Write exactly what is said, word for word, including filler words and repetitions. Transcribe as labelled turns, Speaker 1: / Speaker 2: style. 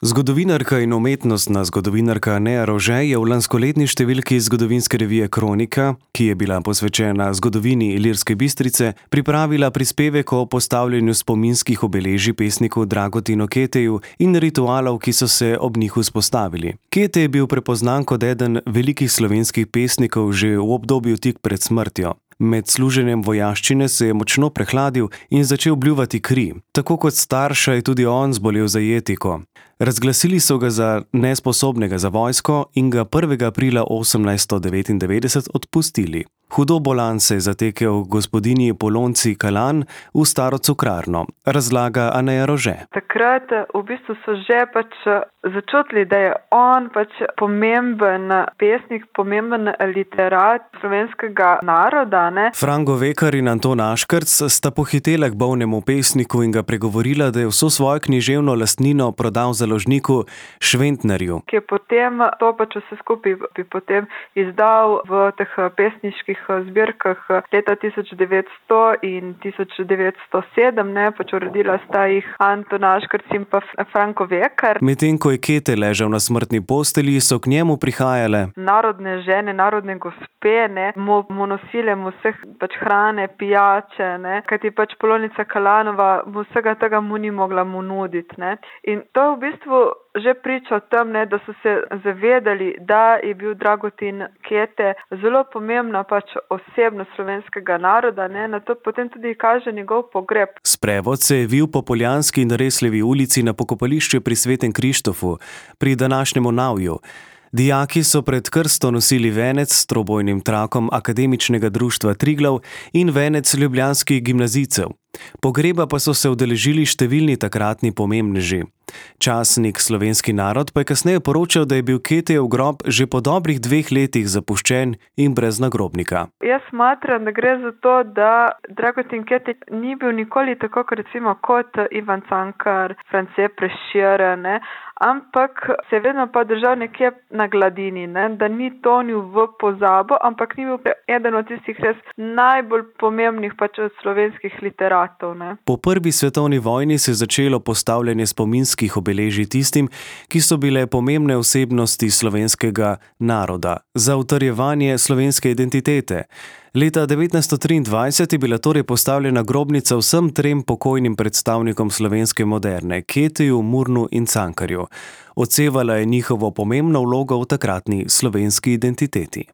Speaker 1: Zgodovinarka in umetnostna zgodovinarka Neja Rože je v lanskoletni številki zgodovinske revije Kronika, ki je bila posvečena zgodovini Ilirske Bistrice, pripravila prispevek o postavljanju spominskih obeležij pesniku Dragotinu Keteju in ritualov, ki so se ob njih vzpostavili. Kete je bil prepoznan kot eden velikih slovenskih pesnikov že v obdobju tik pred smrtjo. Med služenjem vojaščine se je močno prehladil in začel bljuvati kri. Tako kot starša je tudi on zbolel za jetiko. Razglasili so ga za nesposobnega za vojsko in ga prvega aprila osemnajststo devetindevetdeset odpustili. Hudo bolan se je zatekel gospodinji Polonci Kalan v staro cukrarno, razlaga Neja Rože.
Speaker 2: Takrat v bistvu so že pač začutili, da je on pač pomemben pesnik, pomemben literat slovenskega naroda. Ne?
Speaker 1: Fran Govekar in Anton Aškerc sta pohitela k bolnemu pesniku in ga pregovorila, da je vso svojo književno lastnino prodal založniku Šventnerju.
Speaker 2: Ki je potem to pač vse skupaj bi potem izdal v teh pesniških zbirkah leta tisoč devetsto in tisoč devetsto sedem, ne, pač uredila sta jih Anton Aškerc in pa Fran Govekar.
Speaker 1: Medtem ko je Kete ležal na smrtni postelji, so k njemu prihajale
Speaker 2: narodne žene, narodne gospe, ne, mu, mu nosile mu vseh pač hrane, pijače, ne, kajti pač Polonica Kalanova mu vsega tega mu ni mogla mu nuditi, ne. In to v bistvu že priča o tem, ne, da so se zavedali, da je bil Dragotin Kete zelo pomembna pač osebnost slovenskega naroda, ne, na to potem tudi kaže njegov pogreb.
Speaker 1: Sprevod se je vil po Poljanski in Resljevi ulici na pokopališče pri Svetem Krištofu, pri današnjemu Navju. Dijaki so pred krsto nosili venec s trobojnim trakom Akademičnega društva Triglav in venec ljubljanskih gimnazijcev. Pogreba pa so se udeležili številni takratni pomembneži. Časnik Slovenski narod pa je kasneje poročal, da je bil Ketejev grob že po dobrih dveh letih zapuščen in brez nagrobnika.
Speaker 2: Jaz smatram, da gre za to, da Dragotin Ketej ni bil nikoli tako, recimo, kot Ivan Cankar, France Prešeren, ne, ampak se je vedno pa držal nekje na gladini, ne, da ni tonil v pozabo, ampak ni bil eden od tistih res najbolj pomembnih pač od slovenskih literatov. Ne.
Speaker 1: Po prvi svetovni vojni se je začelo postavljanje spominskih obeležij tistim, ki so bile pomembne osebnosti slovenskega naroda za utrjevanje slovenske identitete. Leta devetnajststo triindvajset je bila torej postavljena grobnica vsem trem pokojnim predstavnikom slovenske moderne, Keteju, Murnu in Cankarju. Odsevala je njihovo pomembno vlogo v takratni slovenski identiteti.